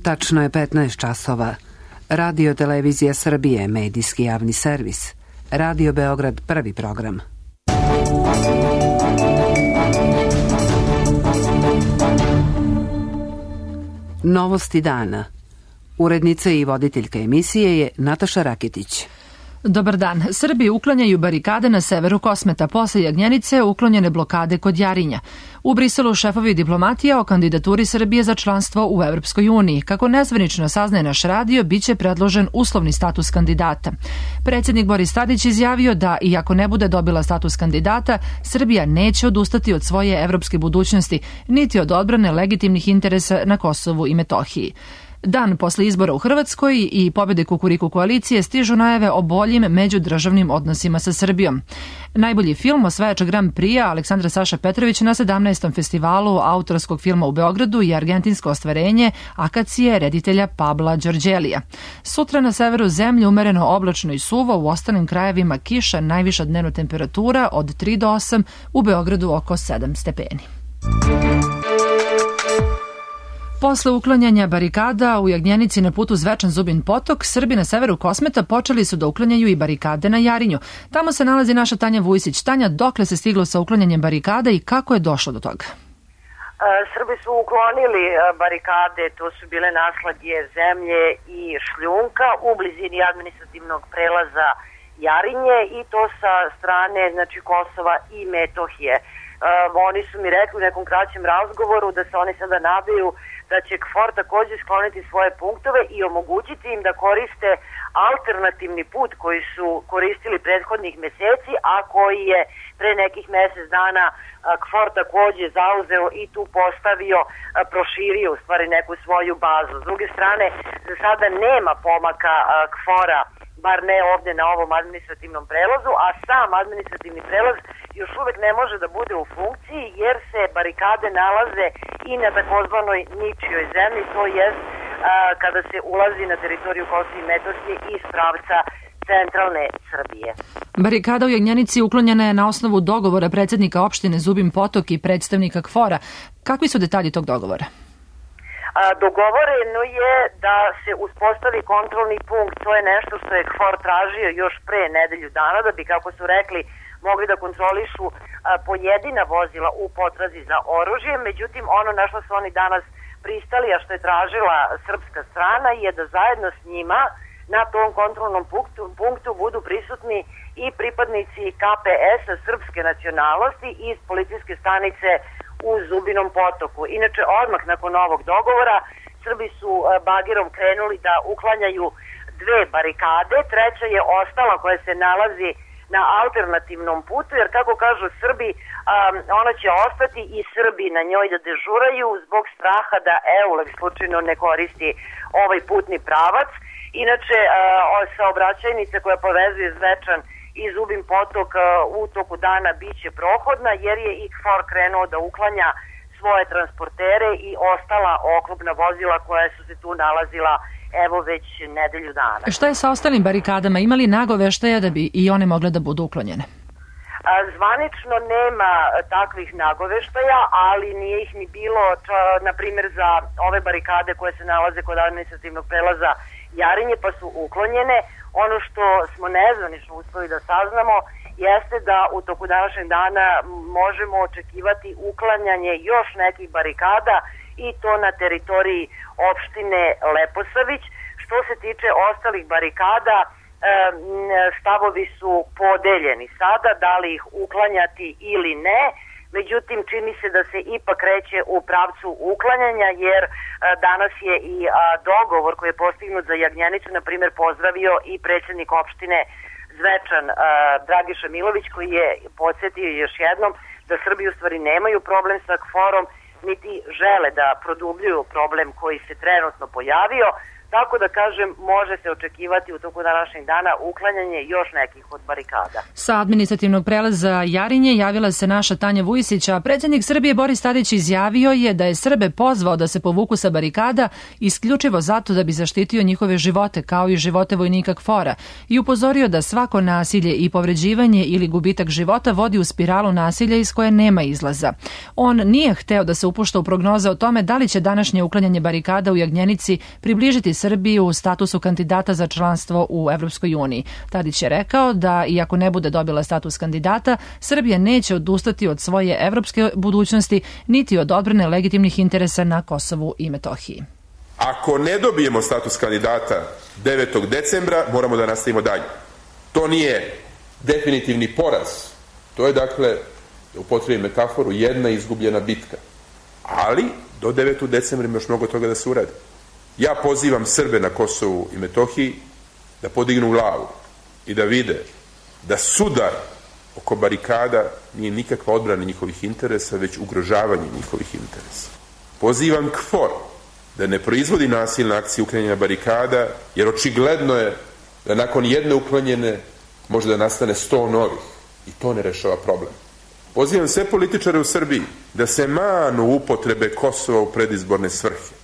Tačno je 15 časova. Radio Televizija Srbije, medijski javni servis. Radio Beograd, prvi program. Novosti dana. Urednica i voditeljka emisije je Nataša Rakitić. Dobar dan. Srbi uklanjaju barikade na severu Kosmeta. Posle Jagnjenice uklonjene blokade kod Jarinja. U Briselu šefovi diplomatija o kandidaturi Srbije za članstvo u Evropskoj uniji. Kako nezvanično saznaje naš radio, biće predložen uslovni status kandidata. Predsjednik Boris Tadić izjavio da, iako ne bude dobila status kandidata, Srbija neće odustati od svoje evropske budućnosti, niti od odbrane legitimnih interesa na Kosovu i Metohiji. Dan posle izbora u Hrvatskoj i pobjede Kukuriku koalicije stižu najave o boljim međudržavnim odnosima sa Srbijom. Najbolji film osvajač Grand Prix Aleksandra Saša Petrović na 17. festivalu autorskog filma u Beogradu i argentinsko ostvarenje Akacije reditelja Pabla Đorđelija. Sutra na severu zemlje umereno oblačno i suvo, u ostalim krajevima kiša, najviša dnevna temperatura od 3 do 8, u Beogradu oko 7 stepeni. Posle uklanjanja barikada u Jagnjenici na putu Zvečan Zubin Potok, Srbi na severu Kosmeta počeli su da uklanjaju i barikade na Jarinju. Tamo se nalazi naša Tanja Vujsić. Tanja, dokle se stiglo sa uklanjanjem barikada i kako je došlo do toga? Srbi su uklonili barikade, to su bile naslagje zemlje i šljunka u blizini administrativnog prelaza Jarinje i to sa strane Kosova i Metohije. Oni su mi rekli u nekom kraćem razgovoru da se oni sada nadaju da će KFOR također skloniti svoje punktove i omogućiti im da koriste alternativni put koji su koristili prethodnih meseci, a koji je pre nekih mesec dana KFOR također zauzeo i tu postavio, proširio u stvari neku svoju bazu. S druge strane, za sada nema pomaka KFOR-a, bar ne ovde na ovom administrativnom prelazu, a sam administrativni prelaz još uvek ne može da bude u funkciji jer se barikade nalaze i na takozvanoj ničijoj zemlji, to jest kada se ulazi na teritoriju Kosova i Metohije iz pravca centralne Srbije. Barikada u Jagnjenici uklonjena je na osnovu dogovora predsjednika opštine Zubin Potok i predstavnika KFOR-a. Kakvi su detalji tog dogovora? Dogovoreno je da se uspostavi kontrolni punkt, to je nešto što je KFOR tražio još pre nedelju dana, da bi, kako su rekli, mogli da kontrolišu pojedina vozila u potrazi za oružjem. Međutim, ono na što su oni danas pristali, a što je tražila srpska strana, je da zajedno s njima na tom kontrolnom punktu budu prisutni i pripadnici KPS-a srpske nacionalnosti iz policijske stanice u Zubinom Potoku. Inače, odmah nakon ovog dogovora, Srbi su bagerom krenuli da uklanjaju 2 barikade, treća je ostala koja se nalazi na alternativnom putu, jer kako kažu Srbi, ona će ostati i Srbi na njoj da dežuraju zbog straha da EULEX slučajno ne koristi ovaj putni pravac. Inače, saobraćajnica koja povezuje Zvečan i Zubin Potok u toku dana biće prohodna, jer je i KFOR krenuo da uklanja svoje transportere i ostala oklopna vozila koja su se tu nalazila evo već nedelju dana. Šta je sa ostalim barikadama? Ima li nagoveštaja da bi i one mogle da budu uklonjene? Zvanično nema takvih nagoveštaja, ali nije ih ni bilo, na primjer, za ove barikade koje se nalaze kod administrativnog prelaza Jarinje, pa su uklonjene. Ono što smo nezvanično uspeli da saznamo jeste da u toku današnjeg dana možemo očekivati uklanjanje još nekih barikada i to na teritoriji opštine Leposavić. Što se tiče ostalih barikada, stavovi su podeljeni sada, da li ih uklanjati ili ne. Međutim, čini se da se ipak kreće u pravcu uklanjanja, jer danas je i dogovor koji je postignut za Jagnjenicu, na primjer, pozdravio i predsjednik opštine Zvečan Dragiša Milović, koji je podsjetio još jednom da Srbi u stvari nemaju problem sa KFOR-om, niti žele da produbljuju problem koji se trenutno pojavio. Tako da kažem, može se očekivati u toku današnjeg dana uklanjanje još nekih od barikada. Sa administrativnog prelaza Jarinje javila se naša Tanja Vujisić, a predsjednik Srbije Boris Tadić izjavio je da je Srbe pozvao da se povuku sa barikada isključivo zato da bi zaštitio njihove živote, kao i živote vojnika KFOR-a, i upozorio da svako nasilje i povređivanje ili gubitak života vodi u spiralu nasilja iz koje nema izlaza. On nije hteo da se upušta u prognoze o tome da li će današnje uklanjanje barikada u Jagnjenici približiti Srbiju u statusu kandidata za članstvo u Evropskoj uniji. Tadić je rekao da, iako ne bude dobila status kandidata, Srbija neće odustati od svoje evropske budućnosti, niti od odbrane legitimnih interesa na Kosovu i Metohiji. Ako ne dobijemo status kandidata 9. decembra, moramo da nastavimo dalje. To nije definitivni poraz. To je, dakle, da upotrebim metaforu, jedna izgubljena bitka. Ali, do 9. decembra ima još mnogo toga da se uradi. Ja pozivam Srbe na Kosovu i Metohiji da podignu glavu i da vide da sudar oko barikada nije nikakva odbrana njihovih interesa, već ugrožavanje njihovih interesa. Pozivam KFOR da ne proizvodi nasilne akcije uklanjanja barikada, jer očigledno je da nakon jedne uklonjene može da nastane 100 novih i to ne rešava problem. Pozivam sve političare u Srbiji da se manu upotrebe Kosova u predizborne svrhe.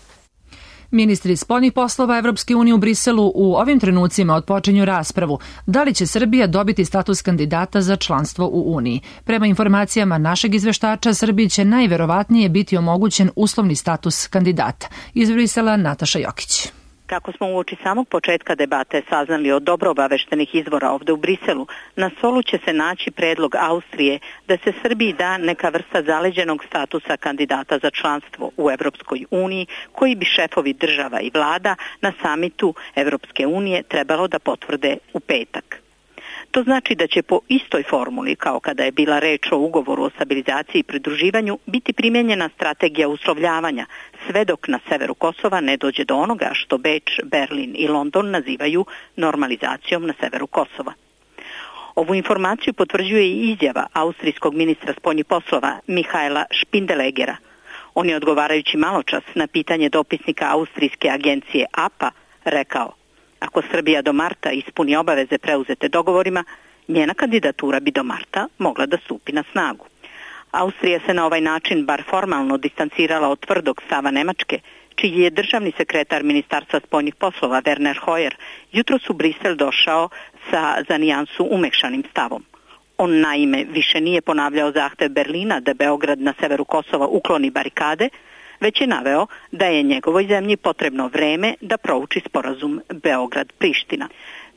Ministri spoljnih poslova Evropske unije u Briselu u ovim trenucima otpočinju raspravu da li će Srbija dobiti status kandidata za članstvo u Uniji. Prema informacijama našeg izveštača, Srbiji će najverovatnije biti omogućen uslovni status kandidata. Iz Brisela Nataša Jokić. Kako smo uoči samog početka debate saznali od dobro obaveštenih izvora ovde u Briselu, na stolu će se naći predlog Austrije da se Srbiji da neka vrsta zaleđenog statusa kandidata za članstvo u Evropskoj uniji, koji bi šefovi država i vlada na samitu Evropske unije trebalo da potvrde u petak. To znači da će po istoj formuli kao kada je bila reč o ugovoru o stabilizaciji i pridruživanju biti primjenjena strategija uslovljavanja, sve dok na severu Kosova ne dođe do onoga što Beč, Berlin i London nazivaju normalizacijom na severu Kosova. Ovu informaciju potvrđuje i izjava austrijskog ministra spoljnih poslova Mihaela Špindelegera. On je odgovarajući maločas na pitanje dopisnika austrijske agencije APA rekao: ako Srbija do marta ispuni obaveze preuzete dogovorima, njena kandidatura bi do marta mogla da stupi na snagu. Austrija se na ovaj način bar formalno distancirala od tvrdog stava Nemačke, čiji je državni sekretar Ministarstva spoljnih poslova Werner Hoyer jutros u Brisel došao sa za nijansu umekšanim stavom. On naime više nije ponavljao zahtev Berlina da Beograd na severu Kosova ukloni barikade, već je naveo da je njegovoj zemlji potrebno vreme da prouči sporazum Beograd-Priština.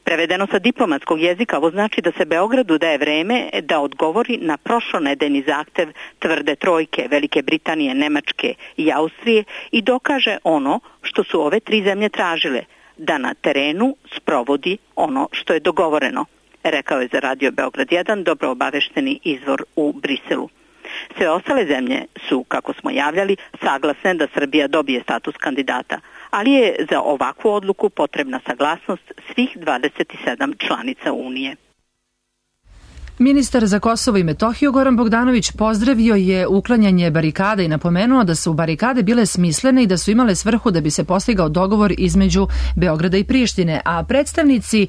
Prevedeno sa diplomatskog jezika, ovo znači da se Beogradu daje vreme da odgovori na prošlonedeljni zahtev tvrde trojke Velike Britanije, Nemačke i Austrije i dokaže ono što su ove tri zemlje tražile, da na terenu sprovodi ono što je dogovoreno, rekao je za Radio Beograd 1 dobro obavešteni izvor u Briselu. Sve ostale zemlje su, kako smo javljali, saglasne da Srbija dobije status kandidata, ali je za ovakvu odluku potrebna saglasnost svih 27 članica Unije. Ministar za Kosovo i Metohiju Goran Bogdanović pozdravio je uklanjanje barikada i napomenuo da su barikade bile smislene i da su imale svrhu da bi se postigao dogovor između Beograda i Prištine, a predstavnici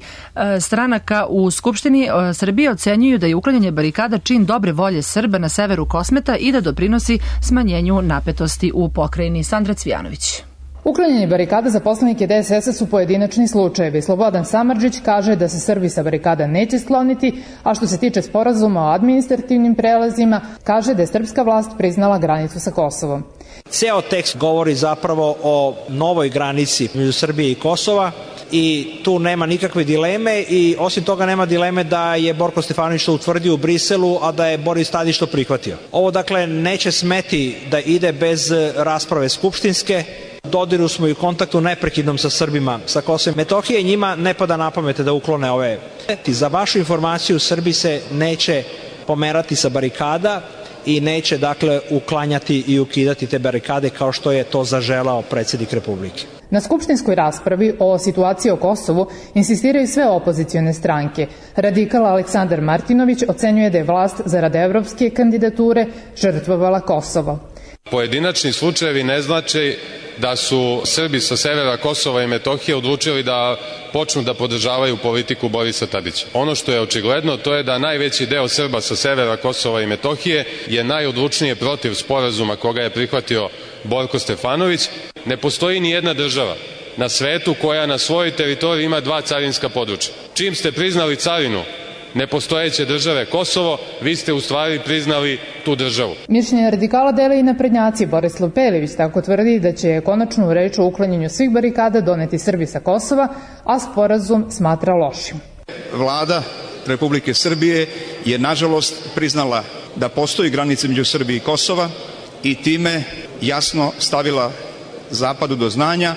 stranaka u Skupštini Srbije ocenjuju da je uklanjanje barikada čin dobre volje Srba na severu Kosmeta i da doprinosi smanjenju napetosti u pokrajini. Sandra Cvijanović. Uklanjanje barikada za poslanike DSS-a su pojedinačni slučajevi. Slobodan Samardžić kaže da se Srbi sa barikada neće skloniti, a što se tiče sporazuma o administrativnim prelazima, kaže da je srpska vlast priznala granicu sa Kosovom. Ceo tekst govori zapravo o novoj granici među Srbije i Kosova i tu nema nikakve dileme i osim toga nema dileme da je Borko Stefanović to utvrdio u Briselu, a da je Boris Tadić to prihvatio. Ovo dakle neće smeti da ide bez rasprave skupštinske. Dodiru smo i u kontaktu neprekidnom sa Srbima sa Kosova i Metohije i njima ne pada na pamet da uklone ove. Za vašu informaciju, Srbi se neće pomerati sa barikada i neće dakle uklanjati i ukidati te barikade kao što je to zaželao predsjednik Republike. Na skupštinskoj raspravi o situaciji o Kosovu insistiraju sve opozicione stranke. Radikal Aleksandar Martinović ocenjuje da je vlast zarad evropske kandidature žrtvovala Kosovo. Pojedinačni slučajevi ne znači da su Srbi sa severa Kosova i Metohije odlučili da počnu da podržavaju politiku Borisa Tadića. Ono što je očigledno, to je da najveći deo Srba sa severa Kosova i Metohije je najodlučnije protiv sporazuma koga je prihvatio Borko Stefanović. Ne postoji ni jedna država na svetu koja na svojoj teritoriji ima 2 carinska područja. Čim ste priznali carinu nepostojeće države Kosovo, vi ste u stvari priznali tu državu. Mišljenje radikala dele i naprednjaci. Borislav Pelević tako tvrdi da će konačnu reč o uklanjanju svih barikada doneti Srbi sa Kosova, a sporazum smatra lošim. Vlada Republike Srbije je nažalost priznala da postoji granica među Srbije i Kosova i time jasno stavila Zapadu do znanja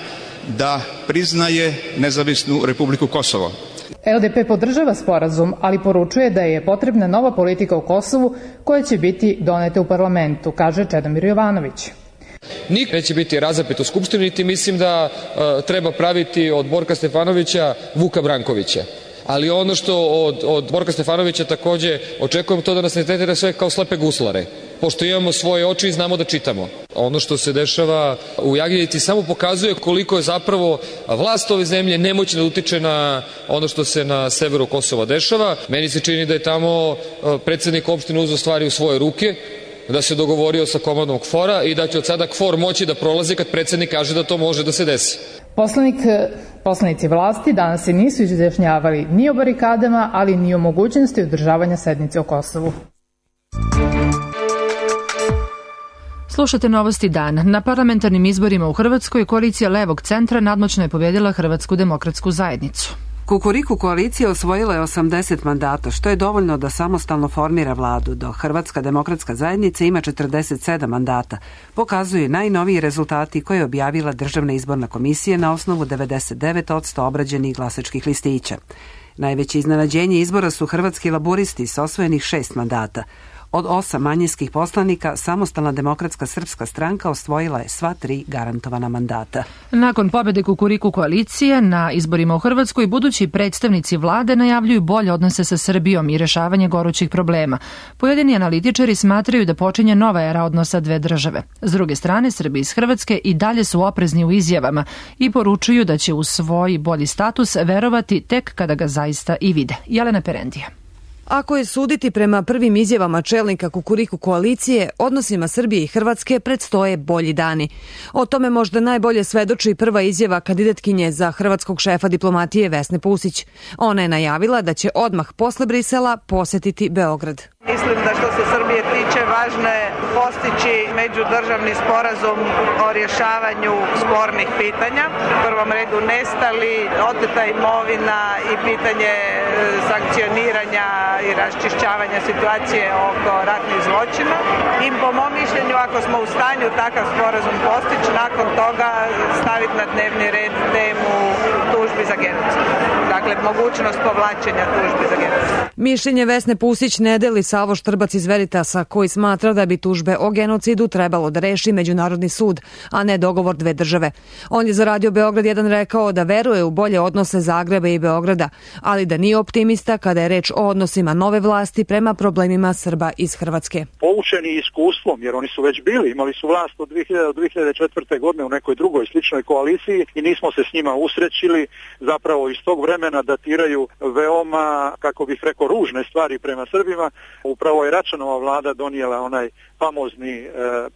da priznaje nezavisnu Republiku Kosovo. LDP podržava sporazum, ali poručuje da je potrebna nova politika u Kosovu koja će biti doneta u parlamentu, kaže Čedomir Jovanović. Niko neće biti razapet u Skupštini, niti mislim da treba praviti od Borka Stefanovića Vuka Brankovića. Ali ono što od Borka Stefanovića takođe očekujem to da nas ne tretira sve kao slepe guslare. Pošto imamo svoje oči i znamo da čitamo. Ono što se dešava u Jaginjevci samo pokazuje koliko je zapravo vlast ove zemlje nemoćna da utiče na ono što se na severu Kosova dešava. Meni se čini da je tamo predsednik opštine uzeo stvari u svoje ruke, da se dogovorio sa komandom KFOR-a i da će od sada KFOR moći da prolazi kad predsednik kaže da to može da se desi. Poslanici vlasti danas se nisu izjašnjavali ni o barikadama, ali ni o mogućnosti održavanja sednice o Kosovu. Slušate Novosti dan. Na parlamentarnim izborima u Hrvatskoj koalicija Levog centra nadmoćno je pobjedila Hrvatsku demokratsku zajednicu. Kukuriku koalicija osvojila je 80 mandata, što je dovoljno da samostalno formira vladu, dok Hrvatska demokratska zajednica ima 47 mandata. Pokazuju najnoviji rezultati koje je objavila Državna izborna komisija na osnovu 99% obrađenih glasačkih listića. Najveće iznenađenje izbora su hrvatski laburisti s osvojenih 6 mandata. Od 8 manjinskih poslanika, Samostalna demokratska srpska stranka osvojila je sva 3 garantovana mandata. Nakon pobjede Kukuriku koalicije na izborima u Hrvatskoj, budući predstavnici vlade najavljuju bolje odnose sa Srbijom i rešavanje gorućih problema. Pojedini analitičari smatraju da počinje nova era odnosa dve države. S druge strane, Srbi iz Hrvatske i dalje su oprezni u izjavama i poručuju da će u svoj bolji status verovati tek kada ga zaista i vide. Jelena Perendija. Ako je suditi prema prvim izjavama čelnika Kukuriku koalicije, odnosima Srbije i Hrvatske predstoje bolji dani. O tome možda najbolje svedoči prva izjava kandidatkinje za hrvatskog šefa diplomatije Vesne Pusić. Ona je najavila da će odmah posle Brisela posetiti Beograd. Mislim da što se Srbije tiče važno je postići međudržavni sporazum o rješavanju spornih pitanja. U prvom redu nestali, oteta imovina i pitanje sankcioniranja i raščišćavanja situacije oko ratnih zločina. I po mom mišljenju, ako smo u stanju takav sporazum postići, nakon toga staviti na dnevni red temu tužbi za genocid. Dakle, mogućnost povlačenja tužbi za genocid. Mišljenje Vesne Pusić ne deli Savo Štrbac iz Veritasa, koji smatra da bi tužbe o genocidu trebalo da reši Međunarodni sud, a ne dogovor dve države. On je za Radio Beograd 1 rekao da veruje u bolje odnose Zagreba i Beograda, ali da nije optimista kada je reč o odnosima nove vlasti prema problemima Srba iz Hrvatske. Poučeni iskustvom, jer oni su već imali su vlast od 2000 do 2004. godine u nekoj drugoj sličnoj koaliciji i nismo se s njima usrećili, zapravo iz tog vremena datiraju veoma, kako bih rekao, ružne stvari prema Srbima. Upravo je Račanova vlada donijela onaj famozni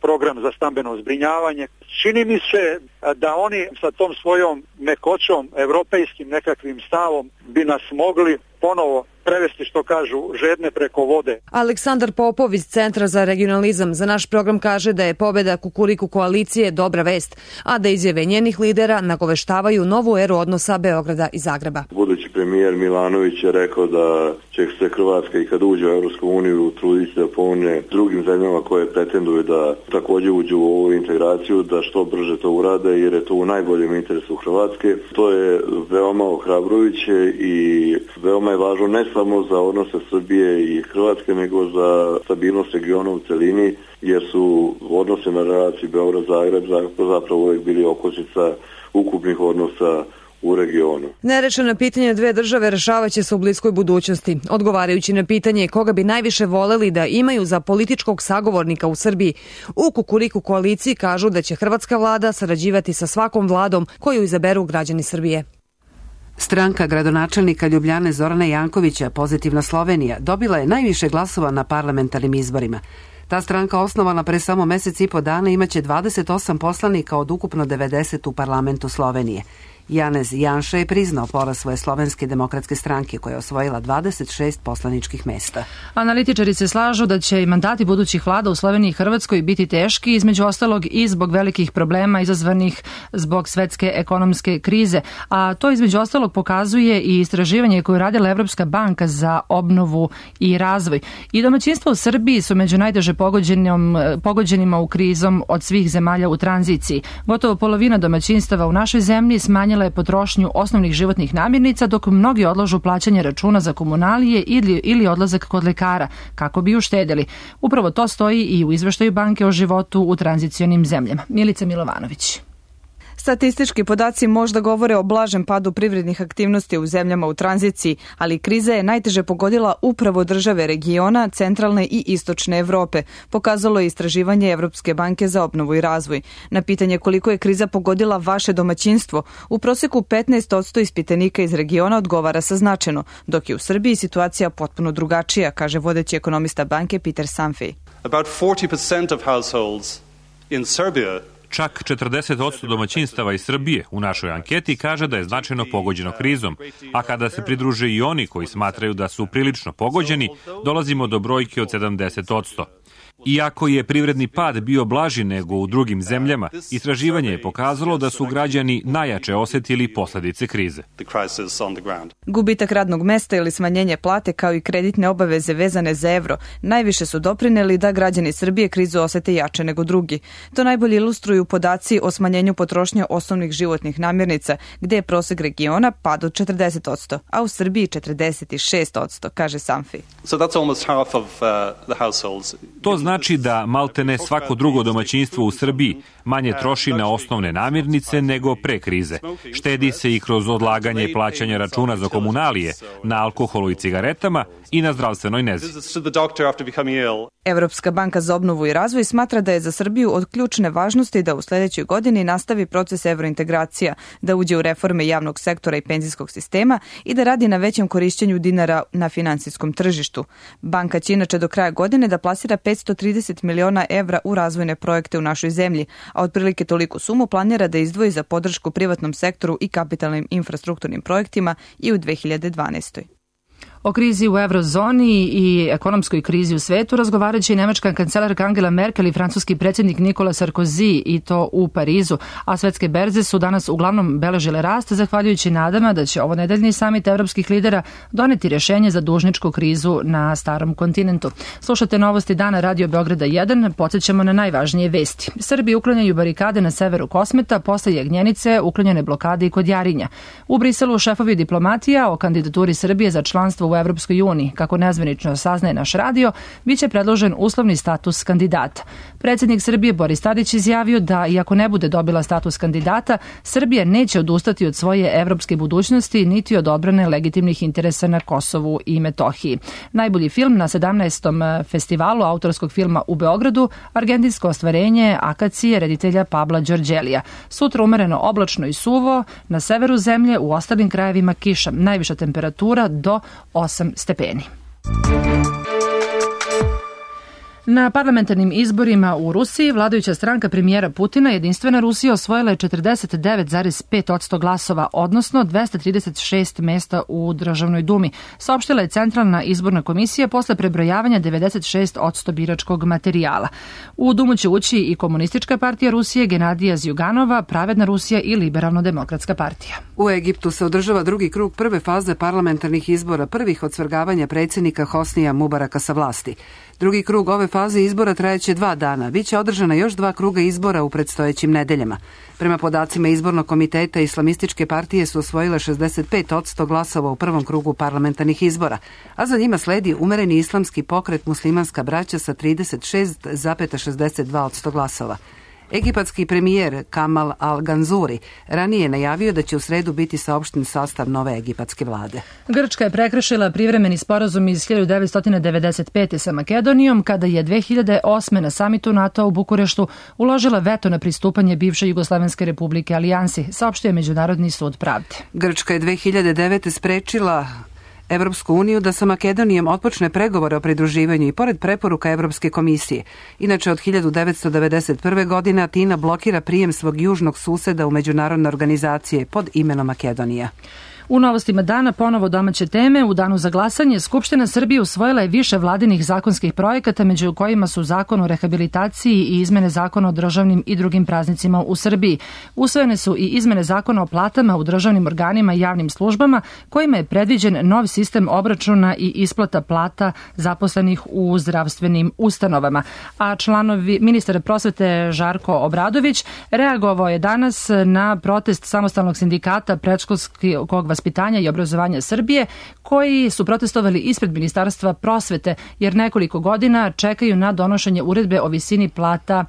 program za stambeno zbrinjavanje. Čini mi se da oni sa tom svojom mekoćom, evropejskim nekakvim stavom bi nas mogli ponovo prevesti, što kažu, žedne preko vode. Aleksandar Popov iz Centra za regionalizam za naš program kaže da je pobjeda Kukuriku koalicije dobra vest, a da izjave njenih lidera nagoveštavaju novu eru odnosa Beograda i Zagreba. Budući premijer Milanović je rekao da će se Hrvatska i kad uđe u Europsku uniju truditi da pomogne drugim zemljama koje pretenduju da također uđu u ovu integraciju, da što brže to urade jer je to u najboljem interesu Hrvatske. To je veoma ohrabrujuće i veoma je važno ne samo za odnose Srbije i Hrvatske, nego za stabilnost regiona u celini, jer su odnose na relaciji Beograd-Zagreb zapravo uvijek bili okosnica ukupnih odnosa u regionu. Nerešena pitanja dve države rešavaće se u bliskoj budućnosti. Odgovarajući na pitanje koga bi najviše voleli da imaju za političkog sagovornika u Srbiji, u Kukuriku koaliciji kažu da će hrvatska vlada sarađivati sa svakom vladom koju izaberu građani Srbije. Stranka gradonačelnika Ljubljane Zorana Jankovića, Pozitivna Slovenija, dobila je najviše glasova na parlamentarnim izborima. Ta stranka, osnovana pre samo mesec i po dana, imaće 28 poslanika od ukupno 90 u parlamentu Slovenije. Janez Janša je priznao poraz svoje Slovenske demokratske stranke koja je osvojila 26 poslaničkih mesta. Analitičari se slažu da će i mandati budućih vlada u Sloveniji i Hrvatskoj biti teški, između ostalog i zbog velikih problema izazvanih zbog svetske ekonomske krize. A to između ostalog pokazuje i istraživanje koje je radila Evropska banka za obnovu i razvoj. I domaćinstva u Srbiji su među najteže pogođenima u krizom od svih zemalja u tranziciji. Gotovo polovina domaćinstava u našoj zemlji smanjila je potrošnju osnovnih životnih namirnica, dok mnogi odlažu plaćanje računa za komunalije ili odlazak kod lekara, kako bi uštedeli. Upravo to stoji i u izveštaju banke o životu u tranzicionim zemljama. Milica Milovanović. Statistički podaci možda govore o blažem padu privrednih aktivnosti u zemljama u tranziciji, ali kriza je najteže pogodila upravo države regiona, centralne i istočne Evrope, pokazalo je istraživanje Evropske banke za obnovu i razvoj. Na pitanje koliko je kriza pogodila vaše domaćinstvo, u proseku 15% ispitanika iz regiona odgovara sa značajno, dok je u Srbiji situacija potpuno drugačija, kaže vodeći ekonomista banke Peter Sanfej. About 40% of households in Serbia Čak 40% domaćinstava iz Srbije u našoj anketi kaže da je značajno pogođeno krizom, a kada se pridruže i oni koji smatraju da su prilično pogođeni, dolazimo do brojke od 70%. Iako je privredni pad bio blaži nego u drugim zemljama, istraživanje je pokazalo da su građani najjače osetili posledice krize. Gubitak radnog mesta ili smanjenje plate kao i kreditne obaveze vezane za evro najviše su doprineli da građani Srbije krizu osete jače nego drugi. To najbolje ilustruju podaci o smanjenju potrošnje osnovnih životnih namirnica, gde je prosek regiona pad od 40%, a u Srbiji 46%, kaže Sanfi. To znači da maltene svako drugo domaćinstvo u Srbiji manje troši na osnovne namirnice nego pre krize. Štedi se i kroz odlaganje plaćanja računa za komunalije, na alkoholu i cigaretama i na zdravstvenoj nezi. Evropska banka za obnovu i razvoj smatra da je za Srbiju od ključne važnosti da u sledećoj godini nastavi proces evrointegracija, da uđe u reforme javnog sektora i penzijskog sistema i da radi na većem korišćenju dinara na finansijskom tržištu. Banka će inače do kraja godine da plasira 530 miliona evra u razvojne projekte u našoj zemlji, a otprilike toliku sumu planira da izdvoji za podršku privatnom sektoru i kapitalnim infrastrukturnim projektima i u 2012. O krizi u eurozoni i ekonomskoj krizi u svetu razgovarajući i nemačka kancelarka Angela Merkel i francuski predsjednik Nicolas Sarkozy, i to u Parizu, a svetske berze su danas uglavnom beležile rast zahvaljujući nadama da će ovonedeljni samit evropskih lidera doneti rješenje za dužničku krizu na starom kontinentu. Slušate novosti dana Radio Beograda 1, podsjećamo na najvažnije vesti. Srbi uklanjaju barikade na severu Kosmeta, posle Jagnjenice uklanjene blokade i kod Jarinja. U Briselu šefovi diplomatija o kandidaturi Srbije za članstvo u Evropskoj uniji. Kako nezvanično saznaje naš radio, biće predložen uslovni status kandidata. Predsjednik Srbije Boris Tadić izjavio da, iako ne bude dobila status kandidata, Srbija neće odustati od svoje evropske budućnosti niti od odbrane legitimnih interesa na Kosovu i Metohiji. Najbolji film na 17. festivalu autorskog filma u Beogradu, argentinsko ostvarenje Akacije reditelja Pabla Đorđelija. Sutra umereno oblačno i suvo, na severu zemlje, u ostalim krajevima kiša. Najviša temperatura do 8 stepeni. Na parlamentarnim izborima u Rusiji vladajuća stranka premijera Putina Jedinstvena Rusija osvojila je 49,5% glasova, odnosno 236 mesta u Državnoj dumi, saopštila je Centralna izborna komisija posle prebrojavanja 96% biračkog materijala. U Dumu će ući i Komunistička partija Rusije, Genadija Zjuganova, Pravedna Rusija i Liberalno-demokratska partija. U Egiptu se održava drugi krug prve faze parlamentarnih izbora, prvih od svrgavanja predsjednika Hosnija Mubaraka sa vlasti. Drugi krug ove faze izbora trajeće 2 dana. Biće održana još 2 kruga izbora u predstojećim nedeljama. Prema podacima izbornog komiteta, islamističke partije su osvojile 65% glasova u prvom krugu parlamentarnih izbora, a za njima sledi umereni islamski pokret Muslimanska braća sa 36,62% glasova. Egipatski premijer Kamal Al-Ganzuri ranije je najavio da će u sredu biti saopšten sastav nove egipatske vlade. Grčka je prekršila privremeni sporazum iz 1995. sa Makedonijom kada je 2008. na samitu NATO u Bukureštu uložila veto na pristupanje bivše Jugoslovenske republike Alijansi, saopštio je Međunarodni sud pravde. Grčka je 2009. sprečila Evropsku uniju da sa Makedonijom otpočne pregovore o pridruživanju i pored preporuka Evropske komisije. Inače, od 1991. godine Atina blokira prijem svog južnog suseda u međunarodne organizacije pod imenom Makedonija. U novostima dana ponovo domaće teme. U danu za glasanje Skupština Srbije usvojila je više vladinih zakonskih projekata, među kojima su Zakon o rehabilitaciji i izmene Zakona o državnim i drugim praznicima u Srbiji. Usvojene su i izmene Zakona o platama u državnim organima i javnim službama, kojima je predviđen nov sistem obračuna i isplata plata zaposlenih u zdravstvenim ustanovama. A ministar prosvete Žarko Obradović reagovao je danas na protest Samostalnog sindikata predškolskog vaspitanja i obrazovanja Srbije, koji su protestovali ispred Ministarstva prosvete jer nekoliko godina čekaju na donošenje uredbe o visini plata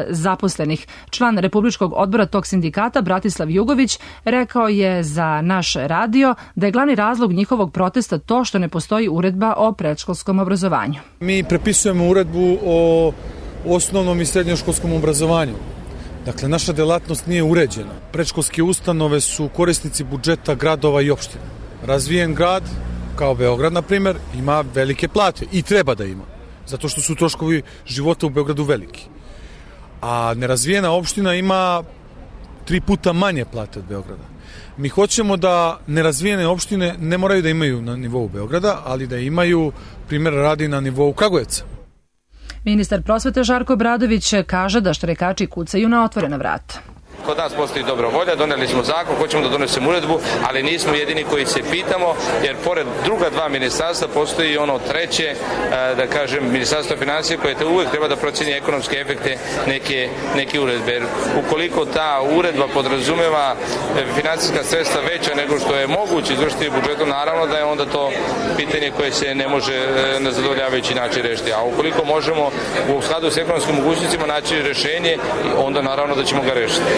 zaposlenih. Član Republičkog odbora tog sindikata Bratislav Jugović rekao je za naš radio da je glavni razlog njihovog protesta to što ne postoji uredba o predškolskom obrazovanju. Mi prepisujemo uredbu o osnovnom i srednjoškolskom obrazovanju. Dakle, naša delatnost nije uređena. Predškolske ustanove su korisnici budžeta gradova i opština. Razvijen grad, kao Beograd, na primjer, ima velike plate i treba da ima, zato što su troškovi života u Beogradu veliki. A nerazvijena opština ima 3 puta manje plate od Beograda. Mi hoćemo da nerazvijene opštine ne moraju da imaju na nivou Beograda, ali da imaju, primjer radi, na nivou Kragujevca. Ministar prosvete Žarko Obradović kaže da štrajkači kucaju na otvorena vrata. Kod nas postoji dobra volja, doneli smo zakon, hoćemo da donesemo uredbu, ali nismo jedini koji se pitamo, jer pored druga dva ministarstva postoji ono treće, da kažem, ministarstvo financije koje uvek treba da proceni ekonomske efekte neke uredbe. Jer ukoliko ta uredba podrazumeva finansijska sredstva veća nego što je moguće izvršiti budžetom, naravno da je onda to pitanje koje se ne može na zadovoljavajući način rešiti. A ukoliko možemo u skladu s ekonomskim mogućnostima naći rešenje, onda naravno da ćemo ga rešiti.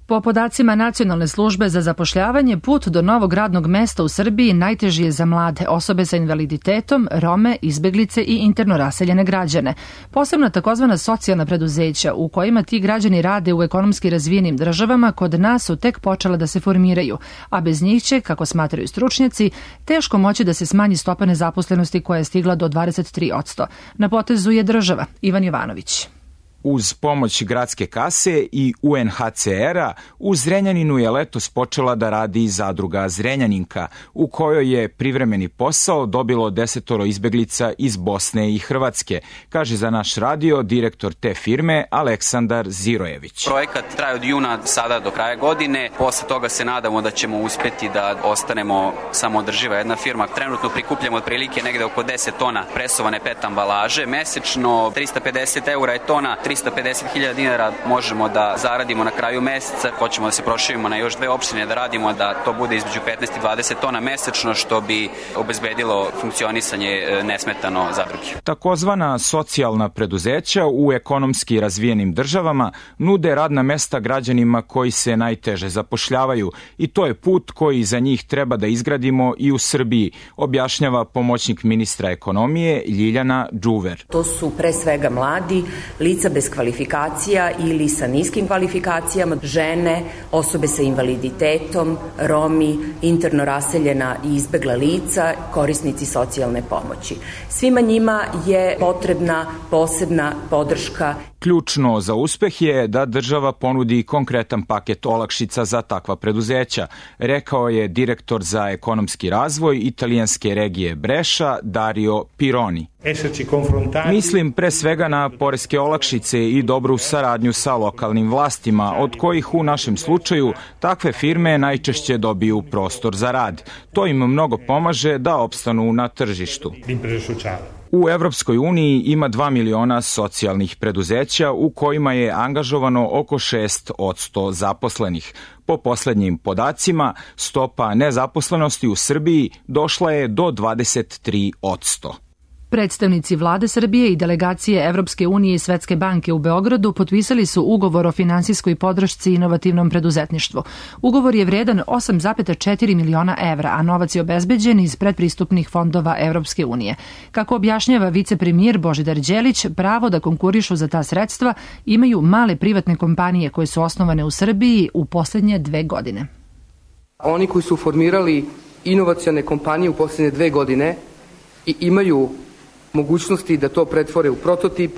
Po podacima Nacionalne službe za zapošljavanje, put do novog radnog mesta u Srbiji najteži je za mlade, osobe sa invaliditetom, Rome, izbeglice i interno raseljene građane. Posebno takozvana socijalna preduzeća u kojima ti građani rade u ekonomski razvijenim državama kod nas su tek počela da se formiraju, a bez njih će, kako smatraju stručnjaci, teško moći da se smanji stopa nezaposlenosti koja je stigla do 23%. Na potezu je država. Ivan Jovanović. Uz pomoć gradske kase i UNHCR-a, u Zrenjaninu je letos počela da radi zadruga Zrenjaninka, u kojoj je privremeni posao dobilo 10 izbeglica iz Bosne i Hrvatske, kaže za naš radio direktor te firme Aleksandar Zirojević. Projekat traje od juna sada do kraja godine, posle toga se nadamo da ćemo uspeti da ostanemo samoodrživa jedna firma. Trenutno prikupljamo otprilike negde oko 10 tona presovane PET ambalaže, mesečno 350 eura je tona, 350.000 dinara možemo da zaradimo na kraju meseca. Hoćemo da se proširimo na još 2 opštine, da radimo da to bude između 15 i 20 tona mesečno, što bi obezbedilo funkcionisanje nesmetano zadruge. Takozvana socijalna preduzeća u ekonomski razvijenim državama nude radna mesta građanima koji se najteže zapošljavaju i to je put koji za njih treba da izgradimo i u Srbiji, objašnjava pomoćnik ministra ekonomije Ljiljana Đuver. To su pre svega mladi, lica bez kvalifikacija ili sa niskim kvalifikacijama, žene, osobe sa invaliditetom, Romi, interno raseljena i izbegla lica, korisnici socijalne pomoći. Svima njima je potrebna posebna podrška. Ključno za uspeh je da država ponudi konkretan paket olakšica za takva preduzeća, rekao je direktor za ekonomski razvoj italijanske regije Breša Dario Pironi. Mislim pre svega na poreske olakšice i dobru saradnju sa lokalnim vlastima, od kojih u našem slučaju takve firme najčešće dobiju prostor za rad. To im mnogo pomaže da opstanu na tržištu. U Evropskoj uniji ima 2 miliona socijalnih preduzeća u kojima je angažovano oko 6% zaposlenih. Po poslednjim podacima, stopa nezaposlenosti u Srbiji došla je do 23%. Predstavnici vlade Srbije i delegacije Evropske unije i Svetske banke u Beogradu potpisali su ugovor o finansijskoj podršci inovativnom preduzetništvu. Ugovor je vredan 8,4 miliona evra, a novac je obezbeđen iz predpristupnih fondova Evropske unije. Kako objašnjava vicepremijer Božidar Đelić, pravo da konkurišu za ta sredstva imaju male privatne kompanije koje su osnovane u Srbiji u poslednje 2 godine. Oni koji su formirali inovacione kompanije u poslednje 2 godine i imaju mogućnosti da to pretvore u prototip,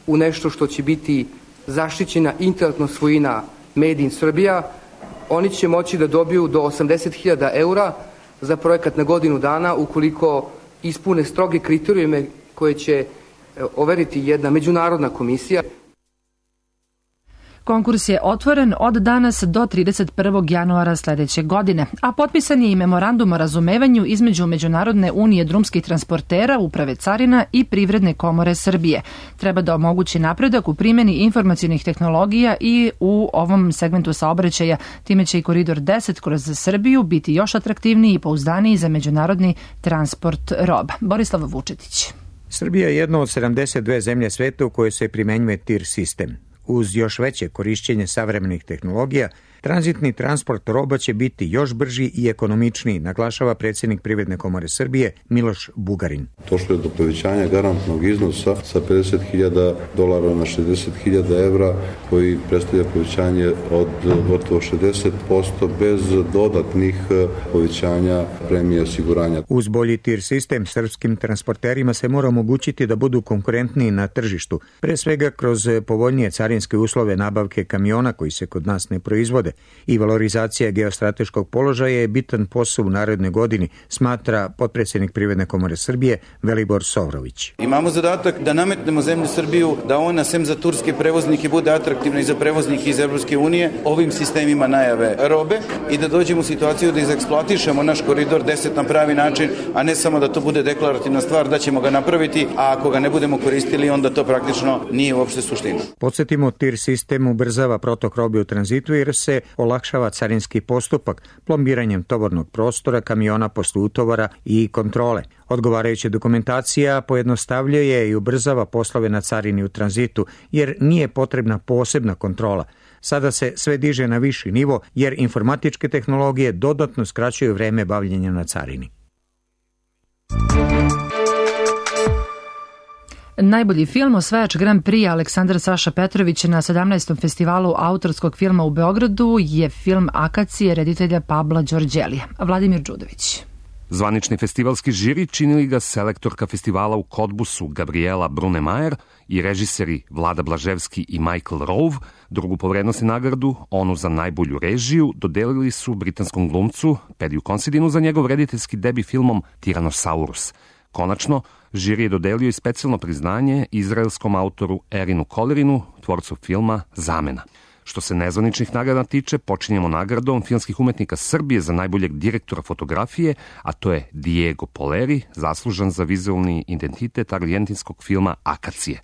u nešto što će biti zaštićena intelektualna svojina Made in Serbia, oni će moći da dobiju do 80.000 eura za projekat na godinu dana ukoliko ispune stroge kriterijume koje će overiti jedna međunarodna komisija. Konkurs je otvoren od danas do 31. januara sledeće godine, a potpisan je i memorandum o razumevanju između Međunarodne unije drumskih transportera, Uprave carina i Privredne komore Srbije. Treba da omogući napredak u primjeni informacionih tehnologija i u ovom segmentu saobraćaja. Time će i koridor 10 kroz Srbiju biti još atraktivniji i pouzdaniji za međunarodni transport roba. Borislav Vučetić. Srbija je jedna od 72 zemlje sveta u kojoj se primenjuje TIR sistem. Uz još veće korišćenje savremenih tehnologija, tranzitni transport roba će biti još brži i ekonomičniji, naglašava predsjednik Privredne komore Srbije Miloš Bugarin. Došlo je do povećanja garantnog iznosa sa $50.000 na $60.000 evra, koji predstavlja povećanje od gotovo 60% bez dodatnih povećanja premije osiguranja. Uz bolji TIR sistem, srpskim transporterima se mora omogućiti da budu konkurentniji na tržištu, pre svega kroz povoljnije carinske uslove nabavke kamiona koji se kod nas ne proizvode. I valorizacija geostrateškog položaja je bitan posao u narednoj godini, smatra potpredsjednik Privredne komore Srbije Velibor Sovrović. Imamo zadatak da nametnemo zemlju Srbiju, da ona sem za turske prevoznike bude atraktivna i za prevoznike iz Evropske unije ovim sistemima najave robe i da dođemo u situaciju da izeksploatišemo naš koridor 10 na pravi način, a ne samo da to bude deklarativna stvar da ćemo ga napraviti, a ako ga ne budemo koristili onda to praktično nije uopšte suština. Podsjetimo, TIR sistem ubrzava protok robe u tranzitu jer se olakšava carinski postupak plombiranjem tovornog prostora, kamiona posle utovara i kontrole. Odgovarajuća dokumentacija pojednostavljuje i ubrzava poslove na carini u tranzitu jer nije potrebna posebna kontrola. Sada se sve diže na viši nivo jer informatičke tehnologije dodatno skraćuju vreme bavljenja na carini. Najbolji film, osvajač Grand Prix Aleksandar Saša Petrović na 17. festivalu autorskog filma u Beogradu je film Akacije reditelja Pabla Đorđelija. Vladimir Đudović. Zvanični festivalski žiri činili ga selektorka festivala u Kodbusu Gabriela Brunemajer i režiseri Vlada Blaževski i Michael Rove. Drugu po vrednosti nagradu, onu za najbolju režiju, dodelili su britanskom glumcu Padiju Considinu za njegov rediteljski debi filmom Tyrannosaurus. Konačno, žiri je dodelio i specijalno priznanje izraelskom autoru Erinu Kolerinu, tvorcu filma Zamena. Što se nezvaničnih nagrada tiče, počinjemo nagradom filmskih umetnika Srbije za najboljeg direktora fotografije, a to je Diego Poleri, zaslužan za vizualni identitet argentinskog filma Akacije.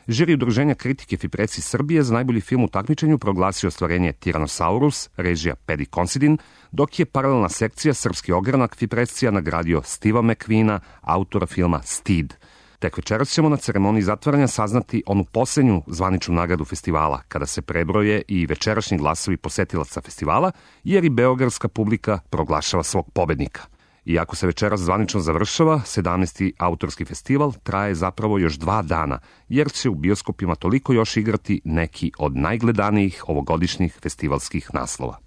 Žiri udruženja kritike Fipreci Srbije za najbolji film u takmičenju proglasio ostvarenje Tyrannosaurus, režija Padi Considin, dok je paralelna sekcija Srpski ogranak Fiprecija nagradio Steve'a McQueena, autora filma Stid. Tek večeras ćemo na ceremoniji zatvaranja saznati onu posljednju zvaničnu nagradu festivala, kada se prebroje i večerašnji glasovi posetilaca festivala, jer i beogradska publika proglašava svog pobednika. Iako se večeras zvanično završava, 17. autorski festival traje zapravo još 2 dana, jer će u bioskopima toliko još igrati neki od najgledanijih ovogodišnjih festivalskih naslova.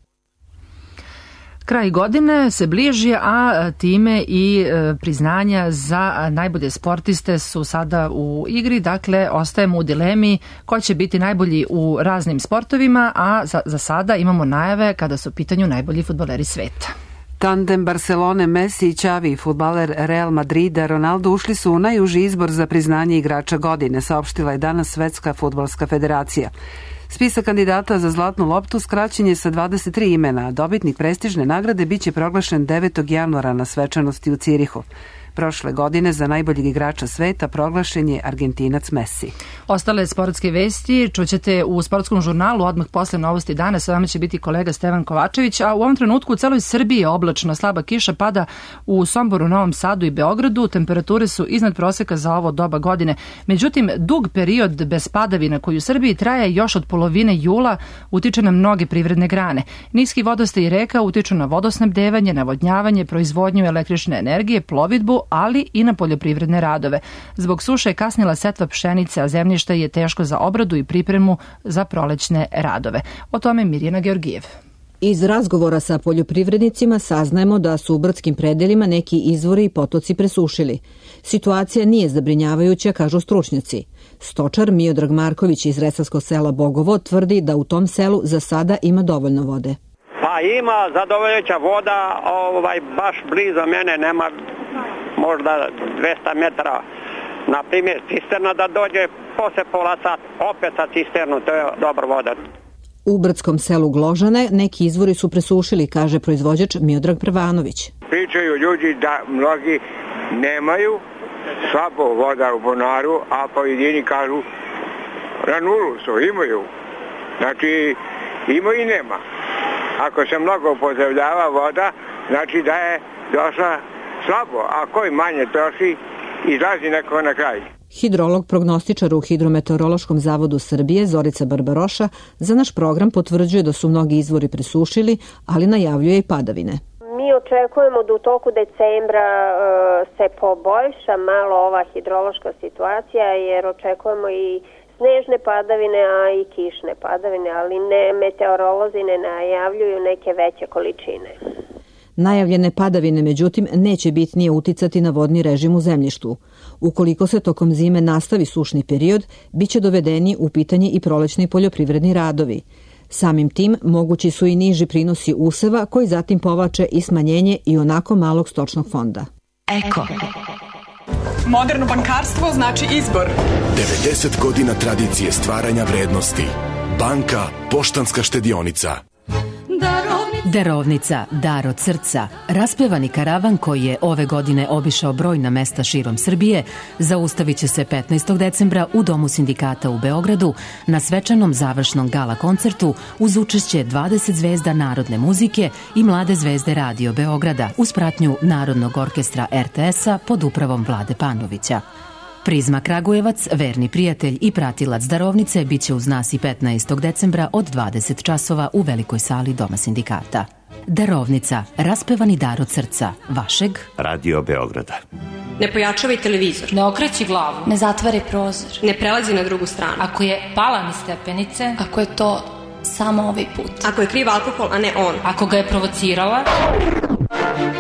Kraj godine se bliži, a time i priznanja za najbolje sportiste su sada u igri. Dakle, ostajemo u dilemi ko će biti najbolji u raznim sportovima, a za sada imamo najave kada su u pitanju najbolji fudbaleri sveta. Tandem Barcelone, Messi i Xavi, fudbaler Real Madrida, Ronaldo ušli su u najuži izbor za priznanje igrača godine, saopštila je danas Svetska fudbalska federacija. Spisak kandidata za zlatnu loptu skraćen je sa 23 imena, a dobitnik prestižne nagrade biće proglašen 9. januara na svečanosti u Cirihu. Prošle godine za najboljeg igrača sveta proglašen je Argentinac Messi. Ostale sportske vesti čućete u sportskom žurnalu odmah posle novosti dana. Sa vama će biti kolega Stevan Kovačević, a u ovom trenutku u celoj Srbiji je oblačno, slaba kiša pada u Somboru, Novom Sadu i Beogradu. Temperature su iznad proseka za ovo doba godine. Međutim, dug period bez padavina koji u Srbiji traje još od polovine jula utiče na mnoge privredne grane. Niski vodostaj reka utiču na vodosnabdevanje, navodnjavanje, proizvodnju električne energije, plovidbu, ali i na poljoprivredne radove. Zbog suše je kasnila setva pšenice, a zemljište je teško za obradu i pripremu za prolećne radove. O tome Mirjana Georgijev. Iz razgovora sa poljoprivrednicima saznajemo da su u brdskim predelima neki izvori i potoci presušili. Situacija nije zabrinjavajuća, kažu stručnjaci. Stočar Miodrag Marković iz Resavskog sela Bogovo tvrdi da u tom selu za sada ima dovoljno vode. Pa ima zadovoljujuća voda, baš blizu mene nema možda 200 metara. Na primjer, cisterna da dođe posle pola sata, opet sa cisternu, to je dobra voda. U brdskom selu Gložane neki izvori su presušili, kaže proizvođač Miodrag Prvanović. Pričaju ljudi da mnogi nemaju slabo voda u bunaru, a pojedini kažu na nulu su, imaju. Znači, ima i nema. Ako se mnogo upotrebljava voda, znači da je došla slabo, a koji manje troši, izlazi neko na kraj. Hidrolog prognostičar u Hidrometeorološkom zavodu Srbije Zorica Barbaroša za naš program potvrđuje da su mnogi izvori presušili, ali najavljuje i padavine. Mi očekujemo da u toku decembra se poboljša malo ova hidrološka situacija, jer očekujemo i snežne padavine, a i kišne padavine, ali meteorolozi ne najavljuju neke veće količine. Najavljene padavine, međutim, neće bitnije uticati na vodni režim u zemljištu. Ukoliko se tokom zime nastavi sušni period, biće dovedeni u pitanje i prolećni poljoprivredni radovi. Samim tim mogući su i niži prinosi useva koji zatim povlače i smanjenje i onako malog stočnog fonda. Eko. Moderno bankarstvo znači izbor. 90 godina tradicije stvaranja vrednosti. Banka Poštanska štedionica. Darovnica, dar od srca, raspevani karavan koji je ove godine obišao brojna mesta širom Srbije, zaustavit će se 15. decembra u Domu sindikata u Beogradu na svečanom završnom gala koncertu uz učešće 20 zvezda narodne muzike i mlade zvezde Radio Beograda uz pratnju Narodnog orkestra RTS-a pod upravom Vlade Panovića. Prizma Kragujevac, verni prijatelj i pratilac darovnice, bit će uz nas i 15. decembra od 20 časova u velikoj sali Doma sindikata. Darovnica, raspevani dar od srca, vašeg Radio Beograda. Ne pojačavaj televizor. Ne okreći glavu. Ne zatvaraj prozor. Ne prelazi na drugu stranu. Ako je pala niz stepenice. Ako je to samo ovaj put. Ako je kriv alkohol, a ne on. Ako ga je provocirala.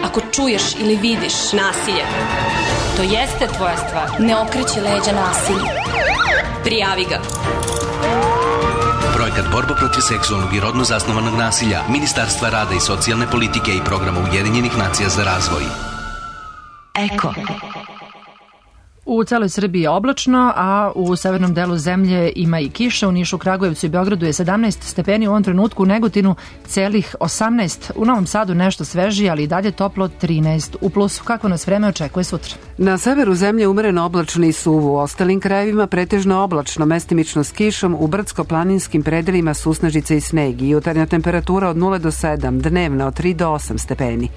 Ako čuješ ili vidiš nasilje. To jeste tvoja stvar. Ne okreći leđa nasilju. Prijavi ga. Projekat borba protiv seksualnog i rodno zasnovanog nasilja Ministarstva rada i socijalne politike i programa Ujedinjenih nacija za razvoj. Eko. U celoj Srbiji je oblačno, a u severnom delu zemlje ima i kiša. U Nišu, Kragujevcu i Beogradu je 17 stepeni, u ovom trenutku u Negotinu celih 18. U Novom Sadu nešto svežije, ali i dalje toplo 13 u plusu. Kako nas vreme očekuje sutra? Na severu zemlje umereno oblačno i suvo, u ostalim krajevima pretežno oblačno, mestimično s kišom, u brdsko-planinskim predelima susnežice i sneg i jutarnja temperatura od 0 do 7, dnevna od 3 do 8 stepeni.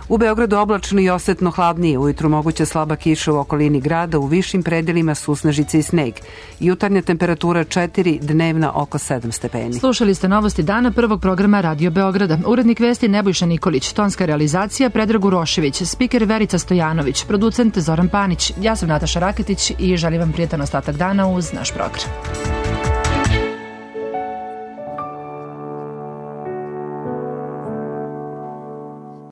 U Beogradu oblačno i osetno hladnije, ujutru moguća slaba kiša u okolini grada, u višim predelima susnežice i sneg. Jutarnja temperatura 4, dnevna oko 7 stepeni. Slušali ste novosti dana prvog programa Radio Beograda. Urednik vesti Nebojša Nikolić, tonska realizacija Predrag Urošević, spiker Verica Stojanović, producent Zoran Panić. Ja sam Nataša Raketić i želim vam prijetan ostatak dana uz naš program.